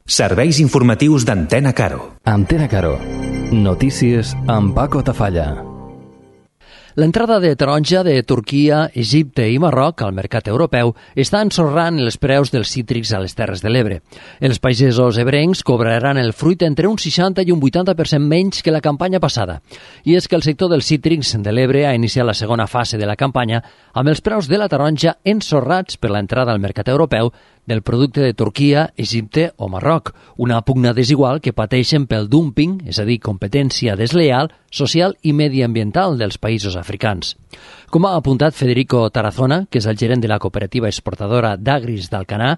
Serveis informatius d'Antena Caro. Antena Caro. Notícies amb Paco Tafalla. L'entrada de taronja de Turquia, Egipte i Marroc al mercat europeu està ensorrant els preus dels cítrics a les Terres de l'Ebre. Els pagesos ebrencs cobraran el fruit entre un 60 i un 80% menys que la campanya passada. I és que el sector dels cítrics de l'Ebre ha iniciat la segona fase de la campanya amb els preus de la taronja ensorrats per l'entrada al mercat europeu del producte de Turquia, Egipte o Marroc, una pugna desigual que pateixen pel dumping, és a dir, competència desleal, social i mediambiental dels països africans. Com ha apuntat Federico Tarazona, que és el gerent de la cooperativa exportadora d'Agris d'Alcanar,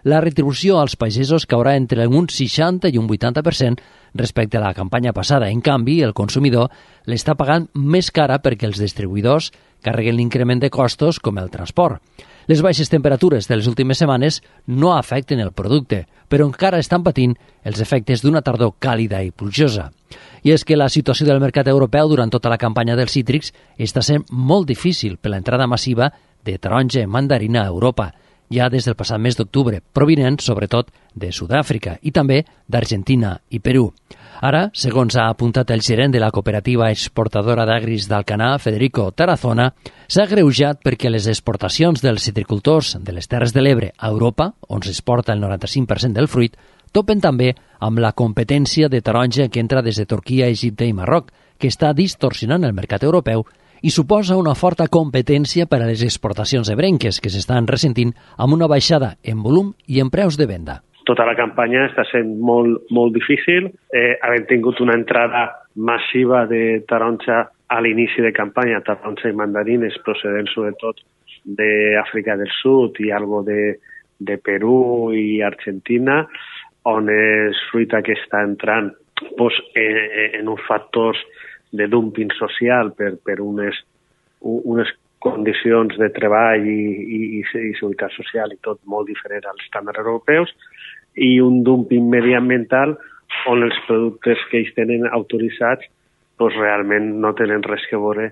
la retribució als pagesos caurà entre un 60 i un 80% respecte a la campanya passada. En canvi, el consumidor l'està pagant més cara perquè els distribuïdors carreguen l'increment de costos com el transport. Les baixes temperatures de les últimes setmanes no afecten el producte, però encara estan patint els efectes d'una tardor càlida i plujosa. I és que la situació del mercat europeu durant tota la campanya dels cítrics està sent molt difícil per l'entrada massiva de taronja i mandarina a Europa, ja des del passat mes d'octubre, provinent sobretot de Sud-àfrica i també d'Argentina i Perú. Ara, segons ha apuntat el gerent de la cooperativa exportadora d'Agris d'Alcanar, Federico Tarazona, s'ha agreujat perquè les exportacions dels citricultors de les Terres de l'Ebre a Europa, on s'exporta el 95% del fruit, topen també amb la competència de taronja que entra des de Turquia, Egipte i Marroc, que està distorsionant el mercat europeu i suposa una forta competència per a les exportacions ebrenques que s'estan ressentint amb una baixada en volum i en preus de venda. Tota la campanya està sent molt difícil. Havent tingut una entrada massiva de taronja a l'inici de campanya, taronja i mandarines procedents sobretot d'Àfrica del Sud i algo de Perú i Argentina, on és fruita que està entrant en uns factors de dumping social per unes condicions de treball i seguretat social i tot molt diferent als estàndards europeus, i un dumping mediambiental on els productes que ells tenen autoritzats realment no tenen res que veure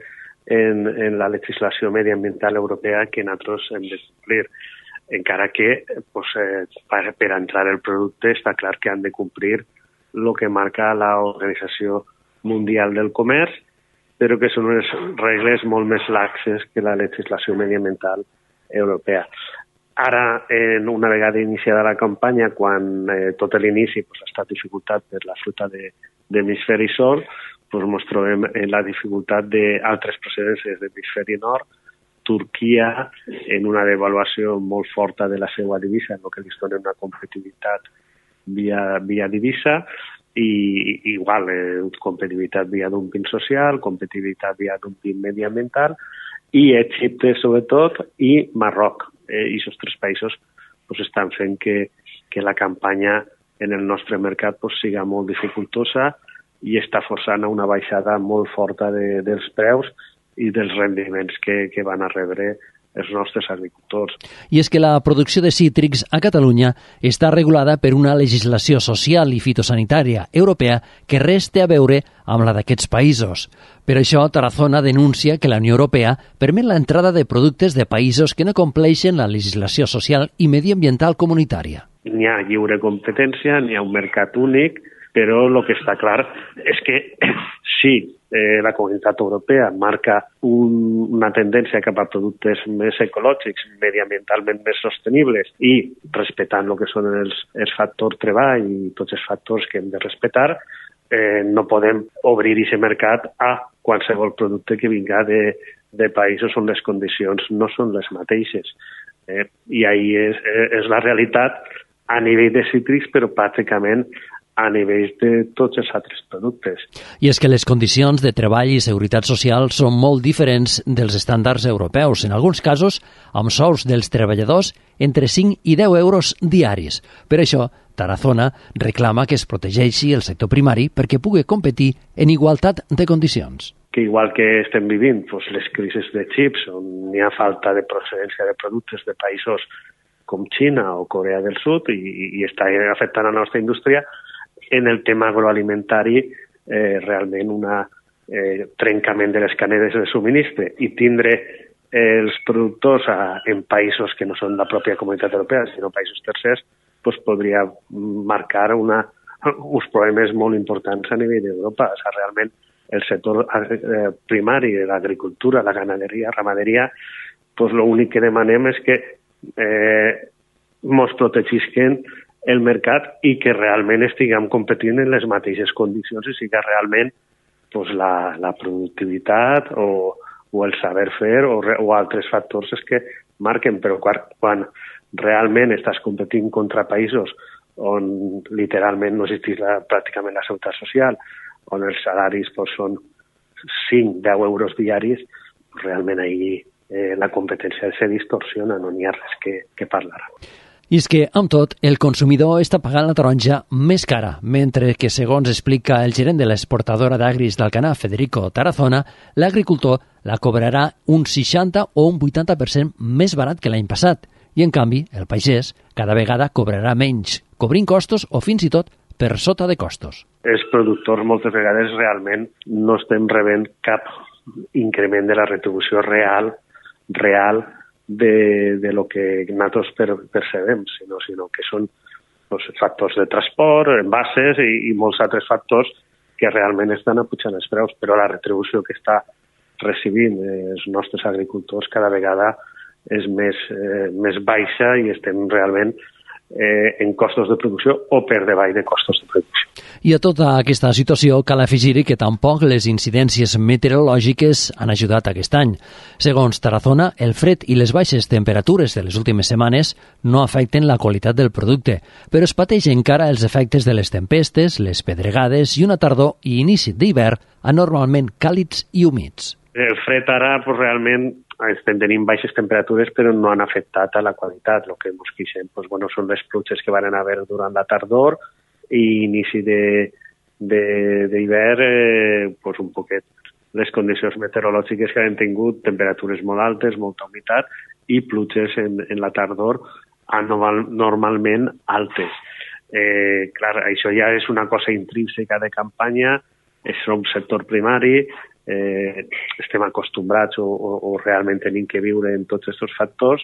en la legislació mediambiental europea que nosaltres hem de complir. Encara que per entrar el producte està clar que han de complir el que marca l'Organització Mundial del Comerç, però que són unes regles molt més laxes que la legislació mediambiental europea. Ara, una vegada iniciada la campanya, quan tot l'inici ha estat dificultat per la fruita de l'hemisferi sud, ens trobem en la dificultat d'altres procedències de l'hemisferi nord, Turquia, en una devaluació molt forta de la seva divisa, el que li dona una competitivitat via divisa, i igual, competitivitat via dumping social, competitivitat via dumping mediambiental, i Egipte sobretot, i Marroc. I aquests tres països estan fent que la campanya en el nostre mercat siga molt dificultosa i està forçant a una baixada molt forta dels preus i dels rendiments que van a rebre els nostres agricultors. I és que la producció de cítrics a Catalunya està regulada per una legislació social i fitosanitària europea que res té a veure amb la d'aquests països. Per això, Tarazona denuncia que la Unió Europea permet l'entrada de productes de països que no compleixen la legislació social i mediambiental comunitària. N'hi ha lliure competència, n'hi ha un mercat únic, però el que està clar és que sí, la Comunitat Europea marca una tendència cap a productes més ecològics, mediambientalment més sostenibles i respectant el que són els factors treball i tots els factors que hem de respectar, no podem obrir aquest mercat a qualsevol producte que vinga de països on les condicions no són les mateixes. I ahí és la realitat a nivell de cítrics, però pràcticament a nivell de tots els altres productes. I és que les condicions de treball i seguretat social són molt diferents dels estàndards europeus, en alguns casos amb sous dels treballadors entre 5 i 10 euros diaris. Per això, Tarazona reclama que es protegeixi el sector primari perquè pugui competir en igualtat de condicions. Que igual que estem vivint les crisis de xips, on hi ha falta de procedència de productes de països com Xina o Corea del Sud i està afectant a la nostra indústria, en el tema agroalimentari realment un trencament de les cadenes de subministre i tindre els productors en països que no són la pròpia Comunitat Europea, sinó països tercers, podria marcar uns problemes molt importants a nivell d'Europa. O sigui, realment el sector primari de l'agricultura, la ganaderia, ramaderia, l'únic que demanem és que ens protegisquen el mercat i que realment estiguem competint en les mateixes condicions i sigui realment la productivitat o el saber fer o altres factors és que marquen, però quan realment estàs competint contra països on literalment no existeix pràcticament la seguretat social, on els salaris són 5-10 euros diaris, realment ahir la competència se distorsiona, no n'hi ha res que parlar. I és que, amb tot, el consumidor està pagant la taronja més cara, mentre que, segons explica el gerent de l'exportadora d'agris d'Alcanar, Federico Tarazona, l'agricultor la cobrarà un 60 o un 80% més barat que l'any passat. I, en canvi, el pagès cada vegada cobrarà menys, cobrint costos o fins i tot per sota de costos. Els productors moltes vegades realment no estem rebent cap increment de la retribució real de lo que nosaltres percebem, sinó que són factors de transport, envases i molts altres factors que realment estan apujant els preus, però la retribució que està recibint els nostres agricultors cada vegada és més baixa i estem realment en costos de producció o per davall de costos de producció. I a tota aquesta situació cal afegir-hi que tampoc les incidències meteorològiques han ajudat aquest any. Segons Tarazona, el fred i les baixes temperatures de les últimes setmanes no afecten la qualitat del producte, però es pateix encara els efectes de les tempestes, les pedregades i una tardor i inici d'hivern anormalment càlids i humits. El fred ara realment estem tenint baixes temperatures però no han afectat a la qualitat. El que ens queixem són les pluges que van haver durant la tardor i inici d'hivern, un poquet les condicions meteorològiques que han tingut, temperatures molt altes, molta humitat i pluges en la tardor normalment altes. Clar, això ja és una cosa intrínseca de campanya, és un sector primari, estem acostumbrats o realment tenim que viure en tots aquests factors.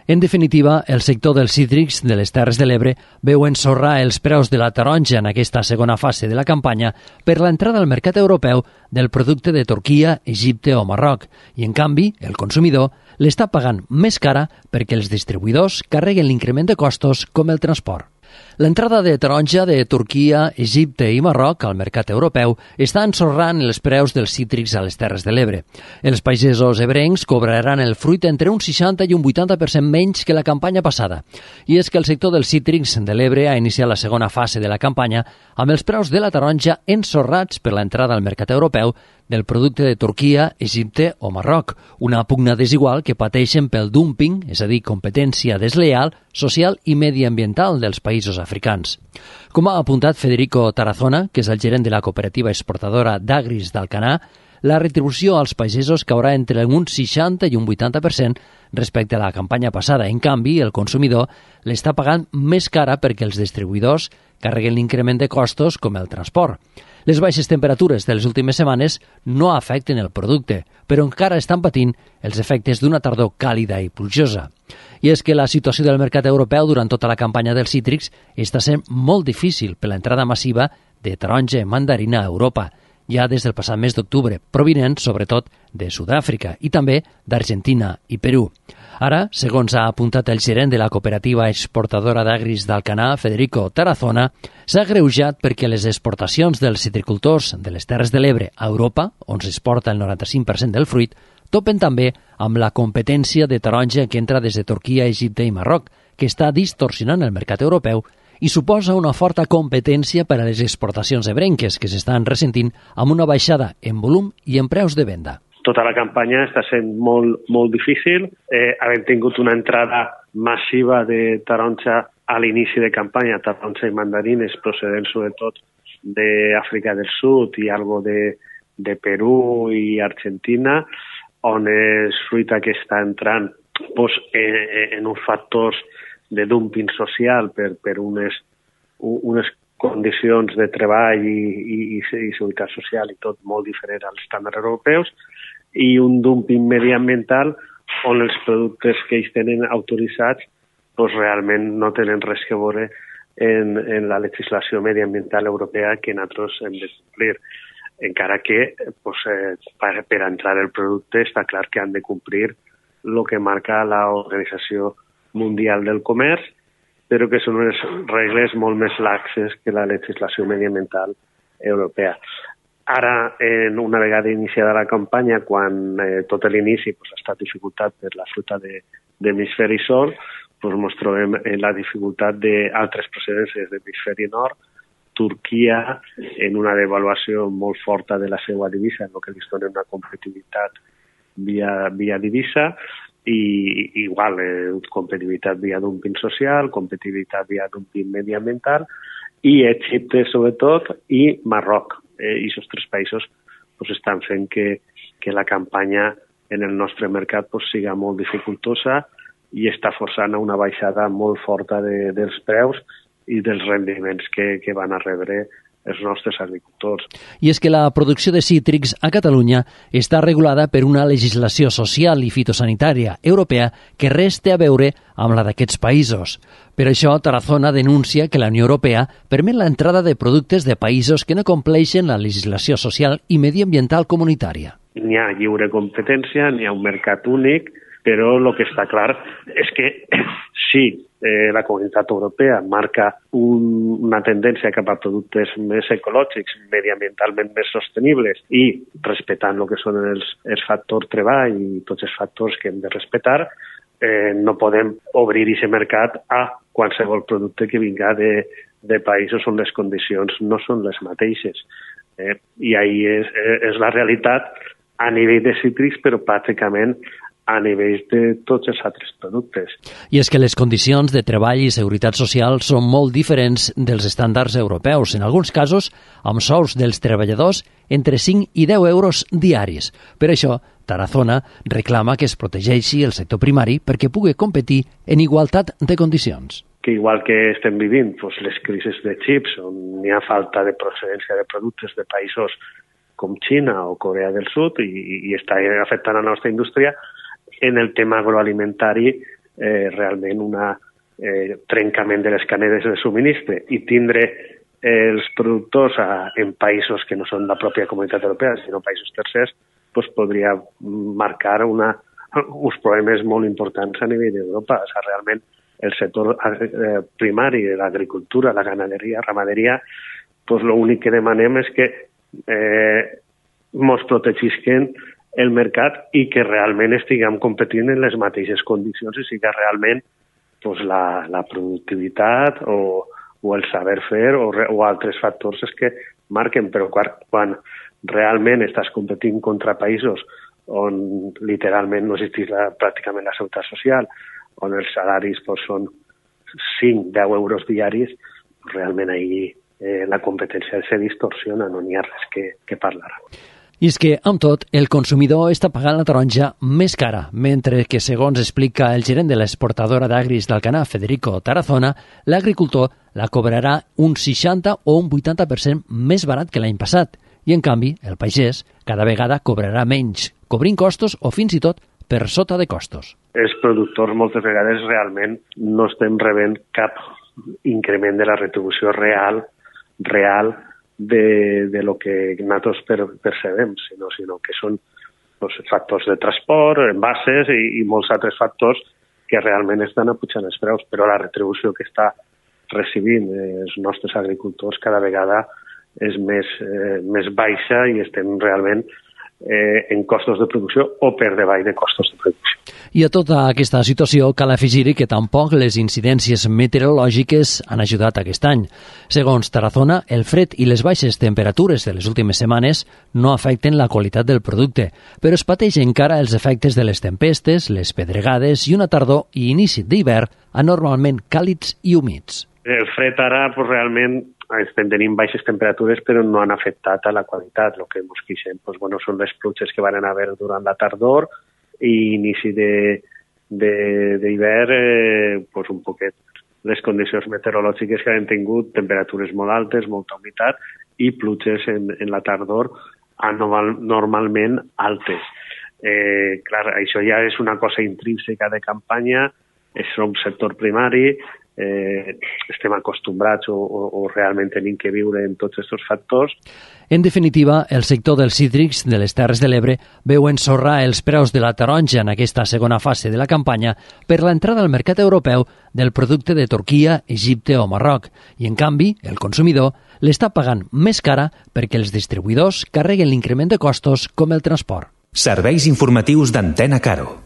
En definitiva, el sector dels cítrics de les Terres de l'Ebre veu ensorrar els preus de la taronja en aquesta segona fase de la campanya per l'entrada al mercat europeu del producte de Turquia, Egipte o Marroc, i en canvi el consumidor l'està pagant més cara perquè els distribuïdors carreguen l'increment de costos com el transport. L'entrada de taronja de Turquia, Egipte i Marroc al mercat europeu està ensorrant els preus dels cítrics a les Terres de l'Ebre. Els pagesos ebrencs cobraran el fruit entre un 60 i un 80% menys que la campanya passada. I és que el sector dels cítrics de l'Ebre ha iniciat la segona fase de la campanya amb els preus de la taronja ensorrats per l'entrada al mercat europeu del producte de Turquia, Egipte o Marroc, una pugna desigual que pateixen pel dumping, és a dir, competència desleal, social i mediambiental dels països africans. Com ha apuntat Federico Tarazona, que és el gerent de la cooperativa exportadora d'agris d'Alcanar, la retribució als pagesos caurà entre un 60 i un 80% respecte a la campanya passada. En canvi, el consumidor l'està pagant més cara perquè els distribuïdors carreguen l'increment de costos com el transport. Les baixes temperatures de les últimes setmanes no afecten el producte, però encara estan patint els efectes d'una tardor càlida i plujosa. I és que la situació del mercat europeu durant tota la campanya dels cítrics està sent molt difícil per l'entrada massiva de taronja i mandarina a Europa, ja des del passat mes d'octubre, provinent sobretot de Sud-àfrica i també d'Argentina i Perú. Ara, segons ha apuntat el gerent de la cooperativa exportadora d'agris d'Alcanar, Federico Tarazona, s'ha agreujat perquè les exportacions dels citricultors de les Terres de l'Ebre a Europa, on s'exporta el 95% del fruit, topen també amb la competència de taronja que entra des de Turquia, Egipte i Marroc, que està distorsionant el mercat europeu i suposa una forta competència per a les exportacions ebrenques que s'estan ressentint amb una baixada en volum i en preus de venda. Tota la campanya està sent molt difícil. Havent tingut una entrada massiva de taronja a l'inici de campanya, taronja i mandarines procedents sobretot d'Àfrica del Sud i algo de Perú i Argentina, on és fruita que està entrant en uns factors de dumping social per unes condicions de treball i seguretat social i tot molt diferent als estàndards europeus, i un dumping mediambiental on els productes que ells tenen autoritzats pues realment no tenen res que veure en la legislació mediambiental europea que nosaltres hem de complir. Encara que pues, per entrar el producte està clar que han de complir el que marca l'Organització Mundial del Comerç, però que són unes regles molt més laxes que la legislació mediambiental europea. Ara, una vegada iniciada la campanya, quan tot l'inici ha estat dificultat per la fruita d'hemisferi sud, ens trobem en la dificultat d'altres procedències d'hemisferi nord, Turquia, en una devaluació molt forta de la seva divisa, en el que li dona una competitivitat via divisa, i igual, competitivitat via dumping social, competitivitat via dumping mediambiental, i Egipte, sobretot, i Marroc. I aquests tres països estan fent que la campanya en el nostre mercat siga molt dificultosa i està forçant a una baixada molt forta dels preus i dels rendiments que van a rebre els nostres agricultors. I és que la producció de cítrics a Catalunya està regulada per una legislació social i fitosanitària europea que res té a veure amb la d'aquests països. Per això, Tarazona denuncia que la Unió Europea permet l'entrada de productes de països que no compleixen la legislació social i mediambiental comunitària. N'hi ha lliure competència, n'hi ha un mercat únic, però el que està clar és que si la Comunitat Europea marca una tendència cap a productes més ecològics, mediambientalment més sostenibles i respectant el que són els factors treball i tots els factors que hem de respectar, no podem obrir aquest mercat a qualsevol producte que vinga de països on les condicions no són les mateixes. I ahí és la realitat a nivell de cítrics, però pràcticament a nivell de tots els altres productes. I és que les condicions de treball i seguretat social són molt diferents dels estàndards europeus, en alguns casos amb sous dels treballadors entre 5 i 10 euros diaris. Per això, Tarazona reclama que es protegeixi el sector primari perquè pugui competir en igualtat de condicions. Que igual que estem vivint les crisis de xips, on hi ha falta de procedència de productes de països com Xina o Corea del Sud i està afectant la nostra indústria, en el tema agroalimentari realment un trencament de les cadenes de subministre i tindre els productors en països que no són la pròpia Comunitat Europea, sinó països tercers, podria marcar uns problemes molt importants a nivell d'Europa. Realment el sector primari de l'agricultura, la ganaderia, ramaderia, l'únic que demanem és que ens protegisquen el mercat i que realment estiguem competint en les mateixes condicions i sigui realment la productivitat o el saber fer o altres factors que marquen, però quan realment estàs competint contra països on literalment no existeix pràcticament la seguretat social, on els salaris són 5-10 euros diaris, realment ahir la competència se distorsiona, no n'hi ha res que parlar. I és que, amb tot, el consumidor està pagant la taronja més cara, mentre que, segons explica el gerent de l'exportadora d'agris d'Alcanar, Federico Tarazona, l'agricultor la cobrarà un 60 o un 80% més barat que l'any passat. I, en canvi, el pagès cada vegada cobrarà menys, cobrint costos o fins i tot per sota de costos. Els productors moltes vegades realment no estem rebent cap increment de la retribució real de lo que nosaltres percebem, sinó que són factors de transport, envases i molts altres factors que realment estan apujant els preus, però la retribució que està recibint els nostres agricultors cada vegada és més baixa i estem realment en costos de producció o per davall de costos de producció. I a tota aquesta situació cal afegir-hi que tampoc les incidències meteorològiques han ajudat aquest any. Segons Tarazona, el fred i les baixes temperatures de les últimes setmanes no afecten la qualitat del producte, però es pateix encara els efectes de les tempestes, les pedregades i una tardor i inici d'hivern anormalment càlids i humits. El fred ara realment estem tenint baixes temperatures però no han afectat a la qualitat. El que ens queixem són les pluges que van haver durant la tardor i inici d'hivern, un poquet les condicions meteorològiques que han tingut, temperatures molt altes, molta humitat i pluges en la tardor normalment altes. Clar, això ja és una cosa intrínseca de campanya, som sector primari, estem acostumbrats o realment tenim que viure amb tots aquests factors. En definitiva, el sector dels cítrics de les Terres de l'Ebre veu ensorrar els preus de la taronja en aquesta segona fase de la campanya per l'entrada al mercat europeu del producte de Turquia, Egipte o Marroc, i en canvi el consumidor l'està pagant més cara perquè els distribuïdors carreguen l'increment de costos com el transport. Serveis informatius d'Antena Caro.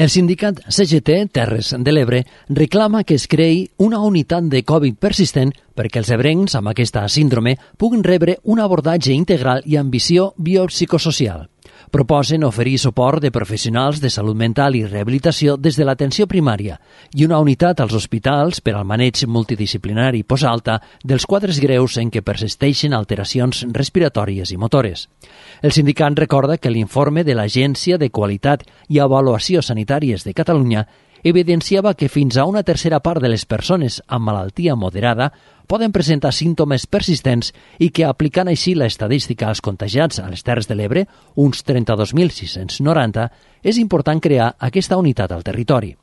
El sindicat CGT Terres de l'Ebre reclama que es creï una unitat de Covid persistent perquè els ebrencs amb aquesta síndrome puguin rebre un abordatge integral i amb visió biopsicosocial. Proposen oferir suport de professionals de salut mental i rehabilitació des de l'atenció primària i una unitat als hospitals per al maneig multidisciplinari postalta dels quadres greus en què persisteixen alteracions respiratòries i motores. El sindicat recorda que l'informe de l'Agència de Qualitat i Avaluació Sanitàries de Catalunya evidenciava que fins a una tercera part de les persones amb malaltia moderada poden presentar símptomes persistents i que, aplicant així l'estadística als contagiats a les Terres de l'Ebre, uns 32.690, és important crear aquesta unitat al territori.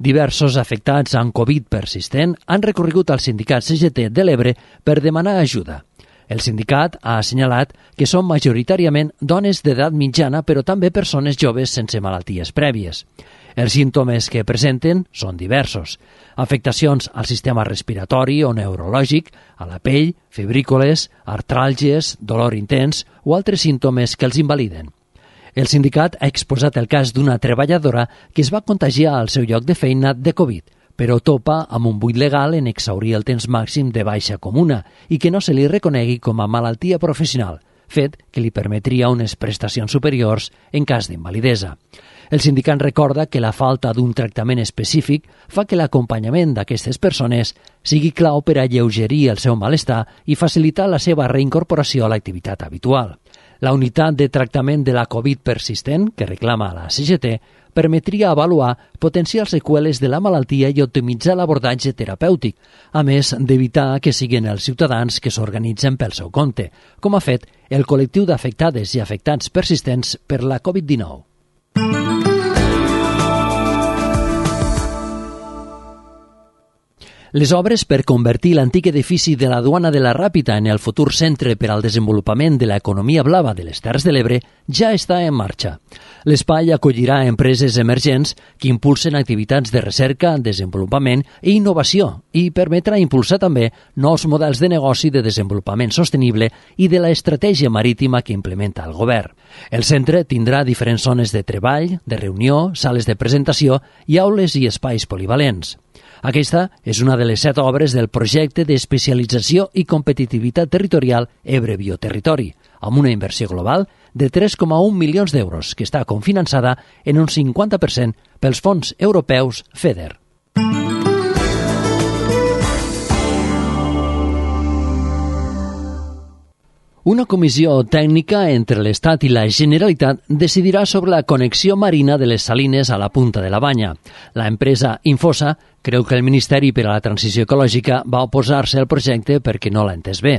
Diversos afectats amb Covid persistent han recorregut al sindicat CGT de l'Ebre per demanar ajuda. El sindicat ha assenyalat que són majoritàriament dones d'edat mitjana, però també persones joves sense malalties prèvies. Els símptomes que presenten són diversos. Afectacions al sistema respiratori o neurològic, a la pell, febrícoles, artràlgies, dolor intens o altres símptomes que els invaliden. El sindicat ha exposat el cas d'una treballadora que es va contagiar al seu lloc de feina de Covid, però topa amb un buit legal en exhaurir el temps màxim de baixa comuna i que no se li reconegui com a malaltia professional, fet que li permetria unes prestacions superiors en cas d'invalidesa. El sindicat recorda que la falta d'un tractament específic fa que l'acompanyament d'aquestes persones sigui clau per alleugerir el seu malestar i facilitar la seva reincorporació a l'activitat habitual. La unitat de tractament de la Covid persistent, que reclama la CGT, permetria avaluar potencials seqüeles de la malaltia i optimitzar l'abordatge terapèutic, a més d'evitar que siguin els ciutadans que s'organitzen pel seu compte, com ha fet el col·lectiu d'afectades i afectats persistents per la Covid-19. Les obres per convertir l'antic edifici de la Duana de la Ràpita en el futur centre per al desenvolupament de l'economia blava de les Terres de l'Ebre ja està en marxa. L'espai acollirà empreses emergents que impulsen activitats de recerca, desenvolupament i innovació i permetrà impulsar també nous models de negoci de desenvolupament sostenible i de l'estratègia marítima que implementa el govern. El centre tindrà diferents zones de treball, de reunió, sales de presentació i aules i espais polivalents. Aquesta és una de les 7 obres del projecte d'especialització i competitivitat territorial Ebre Bioterritori, amb una inversió global de 3,1 milions d'euros, que està cofinançada en un 50% pels fons europeus FEDER. Una comissió tècnica entre l'Estat i la Generalitat decidirà sobre la connexió marina de les salines a la Punta de la Banya. La empresa Infosa creu que el Ministeri per a la Transició Ecològica va oposar-se al projecte perquè no l'ha entès bé.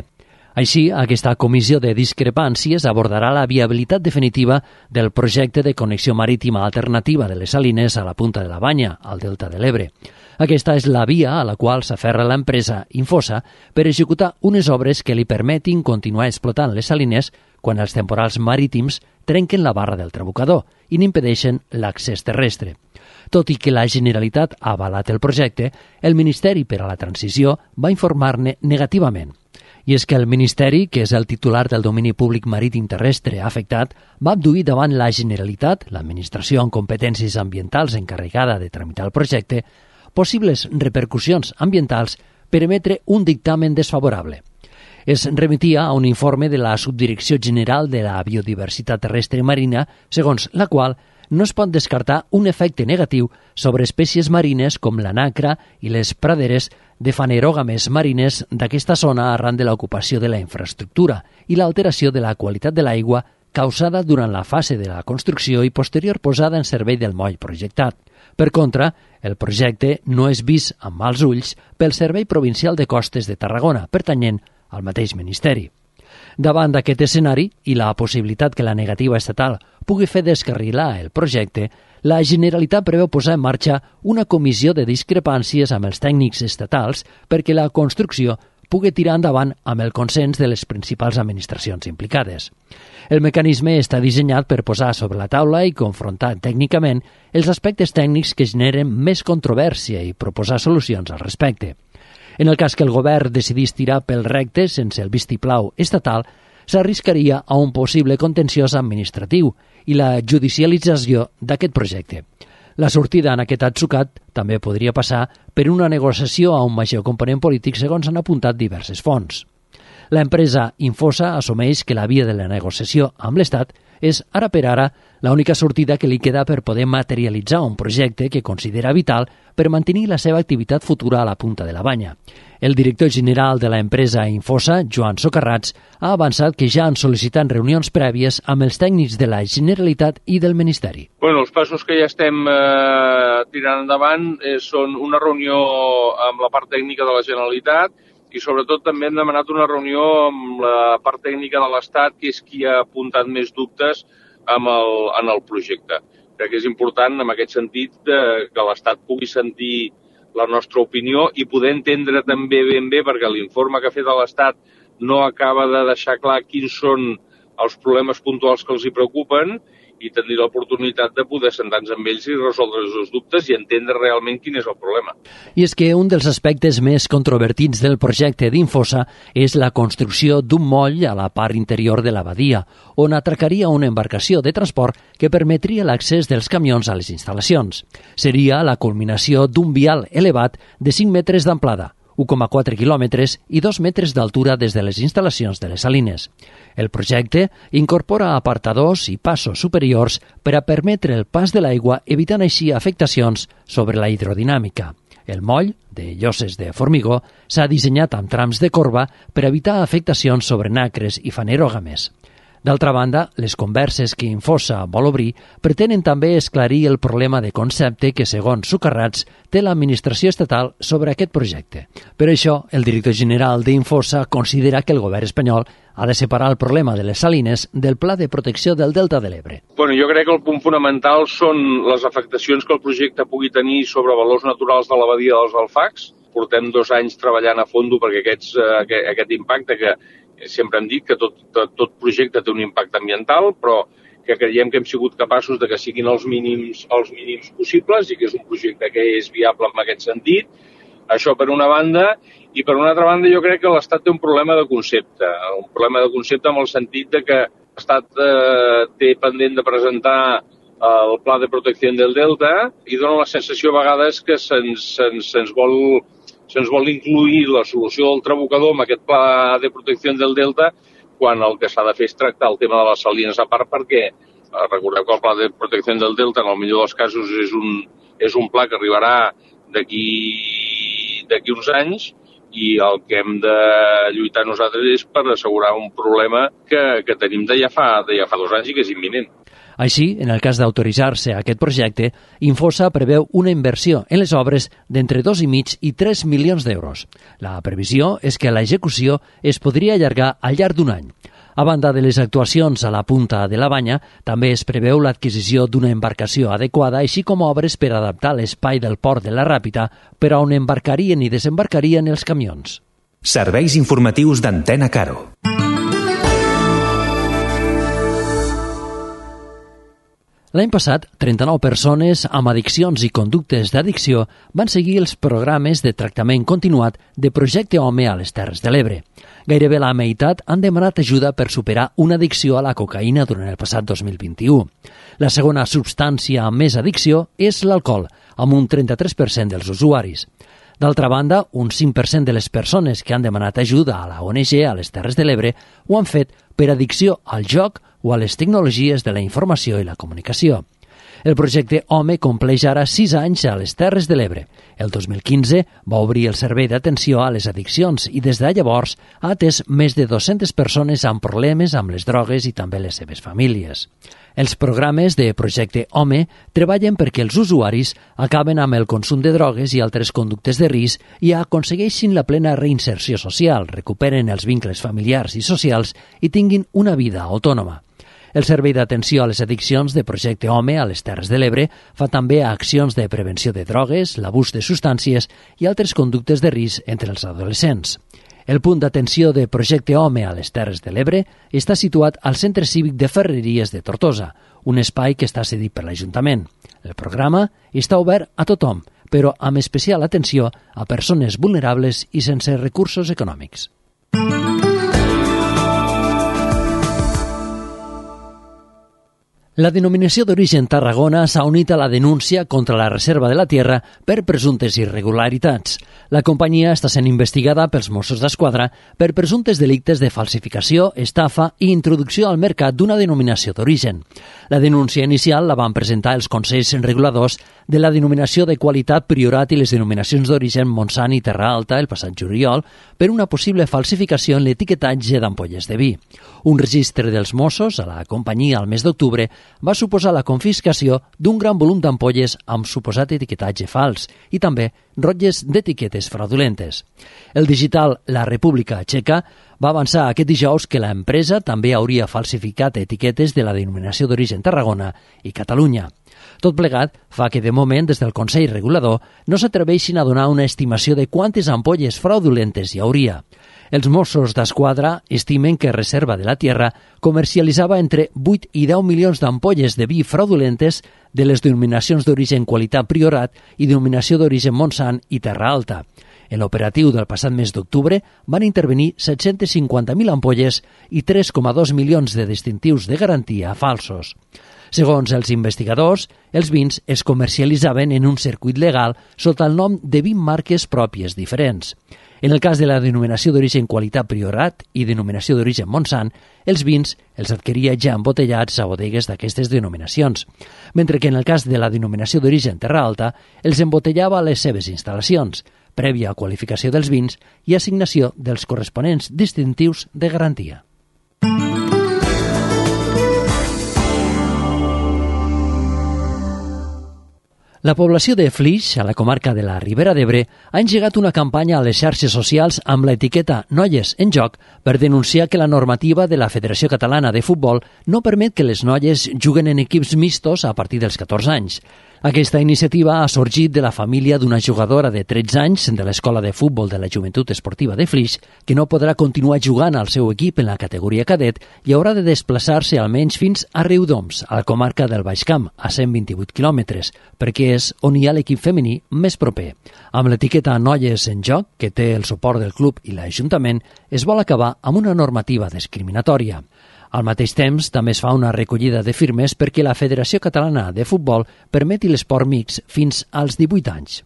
Així, aquesta comissió de discrepàncies abordarà la viabilitat definitiva del projecte de connexió marítima alternativa de les salines a la Punta de la Banya, al Delta de l'Ebre. Aquesta és la via a la qual s'aferra l'empresa Infosa per executar unes obres que li permetin continuar explotant les salines quan els temporals marítims trenquen la barra del trabucador i n'impedeixen l'accés terrestre. Tot i que la Generalitat ha avalat el projecte, el Ministeri per a la Transició va informar-ne negativament. I és que el Ministeri, que és el titular del domini públic marítim terrestre afectat, va abduir davant la Generalitat, l'administració amb competències ambientals encarregada de tramitar el projecte, possibles repercussions ambientals per emetre un dictamen desfavorable. Es remetia a un informe de la Subdirecció General de la Biodiversitat Terrestre i Marina, segons la qual no es pot descartar un efecte negatiu sobre espècies marines com la nacra i les praderes de fanerògames marines d'aquesta zona arran de l'ocupació de la infraestructura i l'alteració de la qualitat de l'aigua causada durant la fase de la construcció i posterior posada en servei del moll projectat. Per contra, el projecte no és vist amb mals ulls pel Servei Provincial de Costes de Tarragona, pertanyent al mateix Ministeri. Davant d'aquest escenari i la possibilitat que la negativa estatal pugui fer descarrilar el projecte, la Generalitat preveu posar en marxa una comissió de discrepàncies amb els tècnics estatals perquè la construcció pugui tirar endavant amb el consens de les principals administracions implicades. El mecanisme està dissenyat per posar sobre la taula i confrontar tècnicament els aspectes tècnics que generen més controvèrsia i proposar solucions al respecte. En el cas que el govern decidís tirar pel recte sense el vistiplau estatal, s'arriscaria a un possible contenciós administratiu i la judicialització d'aquest projecte. La sortida en aquest atzucat també podria passar per una negociació a un major component polític, segons han apuntat diverses fonts. L'empresa Infosa assumeix que la via de la negociació amb l'Estat és, ara per ara, l'única sortida que li queda per poder materialitzar un projecte que considera vital per mantenir la seva activitat futura a la punta de la Banya. El director general de l'empresa Infosa, Joan Socarrats, ha avançat que ja han sol·licitat reunions prèvies amb els tècnics de la Generalitat i del Ministeri. Els passos que ja estem tirant endavant són una reunió amb la part tècnica de la Generalitat i sobretot també hem demanat una reunió amb la part tècnica de l'Estat, que és qui ha apuntat més dubtes en el projecte. Crec que és important, en aquest sentit, que l'Estat pugui sentir la nostra opinió i poder entendre també ben bé, perquè l'informe que ha fet l'Estat no acaba de deixar clar quins són els problemes puntuals que els hi preocupen, i tenir l'oportunitat de poder sentar-nos amb ells i resoldre els seus dubtes i entendre realment quin és el problema. I és que un dels aspectes més controvertits del projecte d'Infosa és la construcció d'un moll a la part interior de la badia, on atracaria una embarcació de transport que permetria l'accés dels camions a les instal·lacions. Seria la culminació d'un vial elevat de 5 metres d'amplada, 1,4 quilòmetres i 2 metres d'altura des de les instal·lacions de les salines. El projecte incorpora apartadors i passos superiors per a permetre el pas de l'aigua, evitant així afectacions sobre la hidrodinàmica. El moll, de lloses de formigó, s'ha dissenyat amb trams de corba per evitar afectacions sobre nacres i fanerògames. D'altra banda, les converses que Infosa vol obrir pretenen també esclarir el problema de concepte que, segons Socarrats, té l'administració estatal sobre aquest projecte. Per això, el director general d'Infosa considera que el govern espanyol ha de separar el problema de les salines del Pla de Protecció del Delta de l'Ebre. Jo crec que el punt fonamental són les afectacions que el projecte pugui tenir sobre valors naturals de la badia dels Alfacs. Portem 2 anys treballant a fondo perquè aquest impacte, que sempre hem dit que tot projecte té un impacte ambiental, però que creiem que hem sigut capaços de que siguin els mínims possibles i que és un projecte que és viable en aquest sentit. Això per una banda, i per una altra banda jo crec que l'Estat té un problema de concepte en el sentit de que l'Estat té pendent de presentar el Pla de Protecció del Delta i dona la sensació a vegades que se'ns vol incluir la solució del Trabucador amb aquest Pla de Protecció del Delta, quan el que s'ha de fer és tractar el tema de les salines a part, perquè recordeu que el Pla de Protecció del Delta en el millor dels casos és un pla que arribarà d'aquí uns anys, i el que hem de lluitar nosaltres és per assegurar un problema que tenim de ja fa 2 anys i que és imminent. Així, en el cas d'autoritzar-se aquest projecte, Infosa preveu una inversió en les obres d'entre 2,5 i 3 milions d'euros. La previsió és que l'execució es podria allargar al llarg d'un any. A banda de les actuacions a la punta de la Banya, també es preveu l'adquisició d'una embarcació adequada, així com obres per adaptar l'espai del port de la Ràpita per a on embarcarien i desembarcarien els camions. Serveis informatius d'Antena Caro. L'any passat, 39 persones amb addiccions i conductes d'addicció van seguir els programes de tractament continuat de Projecte Home a les Terres de l'Ebre. Gairebé la meitat han demanat ajuda per superar una addicció a la cocaïna durant el passat 2021. La segona substància amb més addicció és l'alcohol, amb un 33% dels usuaris. D'altra banda, un 5% de les persones que han demanat ajuda a la ONG a les Terres de l'Ebre ho han fet per addicció al joc o a les tecnologies de la informació i la comunicació. El projecte Home compleix ara 6 anys a les Terres de l'Ebre. El 2015 va obrir el servei d'atenció a les addiccions i des de llavors ha atès més de 200 persones amb problemes amb les drogues i també les seves famílies. Els programes de Projecte Home treballen perquè els usuaris acaben amb el consum de drogues i altres conductes de risc i aconsegueixin la plena reinserció social, recuperen els vincles familiars i socials i tinguin una vida autònoma. El Servei d'Atenció a les Addiccions de Projecte Home a les Terres de l'Ebre fa també accions de prevenció de drogues, l'abús de substàncies i altres conductes de risc entre els adolescents. El punt d'atenció de Projecte Home a les Terres de l'Ebre està situat al Centre Cívic de Ferreries de Tortosa, un espai que està cedit per l'Ajuntament. El programa està obert a tothom, però amb especial atenció a persones vulnerables i sense recursos econòmics. La denominació d'origen Tarragona s'ha unit a la denúncia contra la Reserva de la Tierra per presumptes irregularitats. La companyia està sent investigada pels Mossos d'Esquadra per presumptes delictes de falsificació, estafa i introducció al mercat d'una denominació d'origen. La denúncia inicial la van presentar els Consells Reguladors de la denominació de qualitat Priorat i les denominacions d'origen Montsant i Terra Alta el passat juliol per una possible falsificació en l'etiquetatge d'ampolles de vi. Un registre dels Mossos a la companyia al mes d'octubre va suposar la confiscació d'un gran volum d'ampolles amb suposat etiquetatge fals i també rotlles d'etiquetes fraudulentes. El digital La República Txeca va avançar aquest dijous que l'empresa també hauria falsificat etiquetes de la denominació d'origen Tarragona i Catalunya. Tot plegat fa que, de moment, des del Consell Regulador, no s'atreveixin a donar una estimació de quantes ampolles fraudulentes hi hauria. Els Mossos d'Esquadra estimen que Reserva de la Tierra comercialitzava entre 8 i 10 milions d'ampolles de vi fraudulentes de les denominacions d'origen Qualitat Priorat i denominació d'origen Montsant i Terra Alta. En l'operatiu del passat mes d'octubre van intervenir 750.000 ampolles i 3,2 milions de distintius de garantia falsos. Segons els investigadors, els vins es comercialitzaven en un circuit legal sota el nom de 20 marques pròpies diferents. En el cas de la denominació d'origen Qualitat Priorat i denominació d'origen Montsant, els vins els adquiria ja embotellats a bodegues d'aquestes denominacions, mentre que en el cas de la denominació d'origen Terra Alta els embotellava a les seves instal·lacions, prèvia qualificació dels vins i assignació dels corresponents distintius de garantia. La població de Flix, a la comarca de la Ribera d'Ebre, ha engegat una campanya a les xarxes socials amb l'etiqueta Noies en Joc per denunciar que la normativa de la Federació Catalana de Futbol no permet que les noies juguen en equips mixtos a partir dels 14 anys. Aquesta iniciativa ha sorgit de la família d'una jugadora de 13 anys de l'Escola de Futbol de la Joventut Esportiva de Flix, que no podrà continuar jugant al seu equip en la categoria cadet i haurà de desplaçar-se almenys fins a Riudoms, a la comarca del Baix Camp, a 128 quilòmetres, perquè és on hi ha l'equip femení més proper. Amb l'etiqueta Noies en Joc, que té el suport del club i l'Ajuntament, es vol acabar amb una normativa discriminatòria. Al mateix temps, també es fa una recollida de firmes perquè la Federació Catalana de Futbol permeti l'esport mixt fins als 18 anys.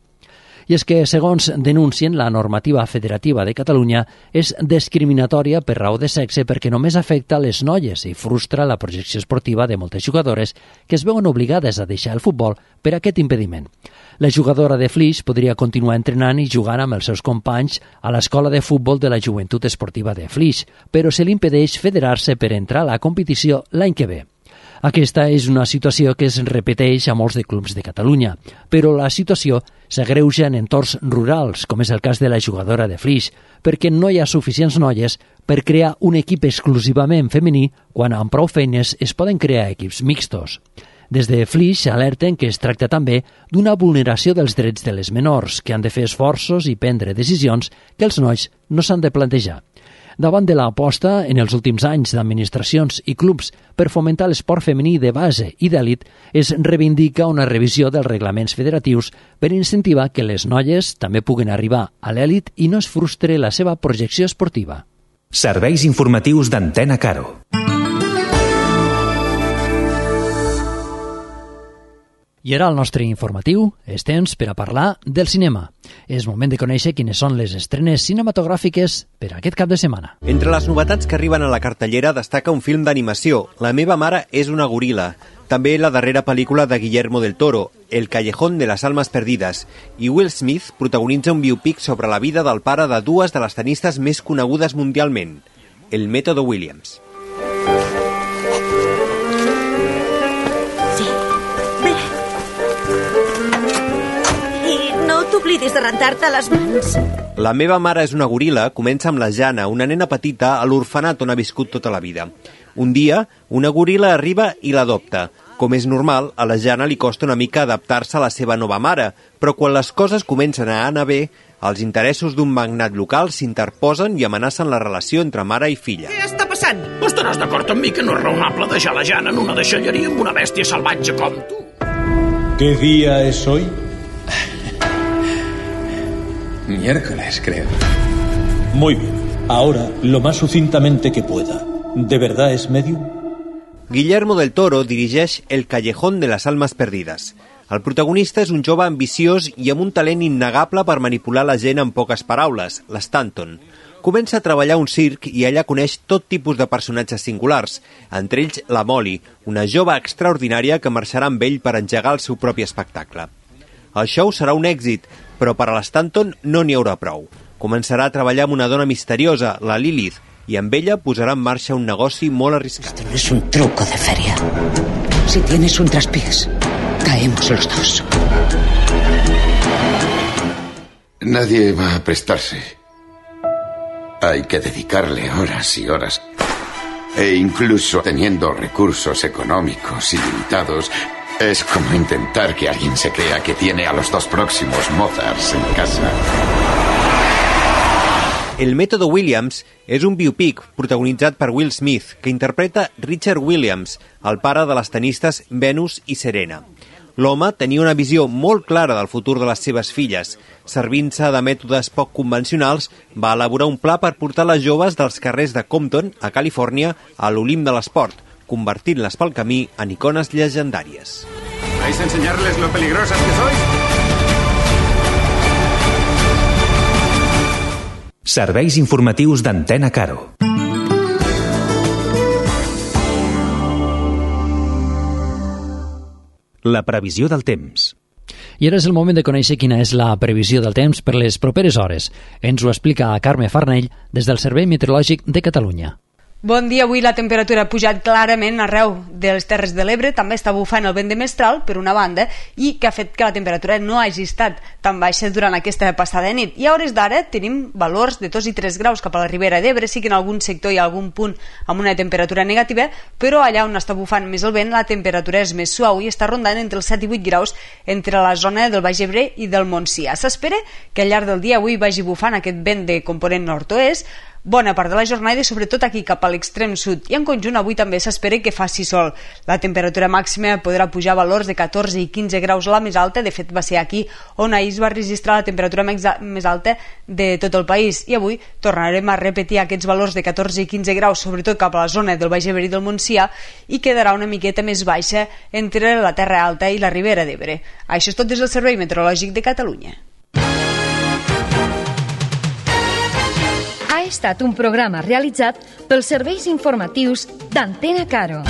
I és que, segons denuncien, la normativa federativa de Catalunya és discriminatòria per raó de sexe perquè només afecta les noies i frustra la projecció esportiva de moltes jugadores que es veuen obligades a deixar el futbol per aquest impediment. La jugadora de Flix podria continuar entrenant i jugant amb els seus companys a l'Escola de Futbol de la Joventut Esportiva de Flix, però se li impedeix federar-se per entrar a la competició l'any que ve. Aquesta és una situació que es repeteix a molts de clubs de Catalunya, però la situació s'agreuja en entorns rurals, com és el cas de la jugadora de Flix, perquè no hi ha suficients noies per crear un equip exclusivament femení quan amb prou feines es poden crear equips mixtos. Des de Flix alerten que es tracta també d'una vulneració dels drets de les menors, que han de fer esforços i prendre decisions que els nois no s'han de plantejar. Davant de l'aposta en els últims anys d'administracions i clubs per fomentar l'esport femení de base i d'elit, es reivindica una revisió dels reglaments federatius per incentivar que les noies també puguen arribar a l'elit i no es frustre la seva projecció esportiva. Serveis informatius d'Antena Caro. I ara el nostre informatiu és temps per a parlar del cinema. És moment de conèixer quines són les estrenes cinematogràfiques per a aquest cap de setmana. Entre les novetats que arriben a la cartellera destaca un film d'animació, La meva mare és una goril·la. També la darrera pel·lícula de Guillermo del Toro, El callejón de las almas perdidas. I Will Smith protagonitza un biopic sobre la vida del pare de dues de les tenistes més conegudes mundialment, el Método Williams. hauries de rentar-te les mans. La meva mare és una goril·la comença amb la Jana, una nena petita a l'orfenat on ha viscut tota la vida. Un dia, una goril·la arriba i l'adopta. Com és normal, a la Jana li costa una mica adaptar-se a la seva nova mare, però quan les coses comencen a anar bé, els interessos d'un magnat local s'interposen i amenacen la relació entre mare i filla. Què està passant? Estaràs d'acord amb mi que no és raonable deixar la Jana en una deixalleria amb una bèstia salvatge com tu? ¿Qué día es hoy? Miércoles, creo. Muy bien. Ahora, lo más sucintamente que pueda. ¿De verdad es medium? Guillermo del Toro dirigeix El Callejón de las Almas Perdides. El protagonista és un jove ambiciós i amb un talent innegable per manipular la gent amb poques paraules, l'Stanton. Comença a treballar a un circ i allà coneix tot tipus de personatges singulars, entre ells la Molly, una jove extraordinària que marxarà amb ell per engegar el seu propi espectacle. El show serà un èxit, però per a l'Stanton no n'hi haurà prou. Començarà a treballar amb una dona misteriosa, la Lilith, i amb ella posarà en marxa un negoci molt arriscat. Esto no es un truco de feria. Si tienes un traspiés, caemos los dos. Nadie va a prestarse. Hay que dedicarle horas y horas. E incluso teniendo recursos económicos ilimitados, es como intentar que alguien se crea que tiene a los dos próximos Mozarts en casa. El Método Williams és un biopic protagonitzat per Will Smith, que interpreta Richard Williams, el pare de les tenistes Venus i Serena. L'home tenia una visió molt clara del futur de les seves filles. Servint-se de mètodes poc convencionals, va elaborar un pla per portar les joves dels carrers de Compton, a Califòrnia, a l'Olimp de l'esport, convertint-les pel camí en icones llegendàries. ¿Vais a enseñarles lo peligrosas que sois? Serveis informatius d'Antena Caro. La previsió del temps. I ara és el moment de conèixer quina és la previsió del temps per les properes hores. Ens ho explica Carme Farnell des del Servei Meteorològic de Catalunya. Bon dia, avui la temperatura ha pujat clarament arreu de les Terres de l'Ebre, també està bufant el vent de mestral, per una banda, i que ha fet que la temperatura no hagi estat tan baixa durant aquesta passada nit. I a hores d'ara tenim valors de 2 i 3 graus cap a la Ribera d'Ebre, sí que en algun sector hi ha algun punt amb una temperatura negativa, però allà on està bufant més el vent la temperatura és més suau i està rondant entre els 7 i 8 graus entre la zona del Baix Ebre i del Montsià. S'espera que al llarg del dia avui vagi bufant aquest vent de component nord-oest bona part de la jornada i sobretot aquí cap a l'extrem sud, i en conjunt avui també s'espera que faci sol. La temperatura màxima podrà pujar a valors de 14 i 15 graus a la més alta, de fet va ser aquí on ahir es va registrar la temperatura més alta de tot el país, i avui tornarem a repetir aquests valors de 14 i 15 graus, sobretot cap a la zona del Baix Ebre i del Montsià, i quedarà una miqueta més baixa entre la Terra Alta i la Ribera d'Ebre. Això és tot des del Servei Meteorològic de Catalunya. Ha estat un programa realitzat pels serveis informatius d'Antena Caro.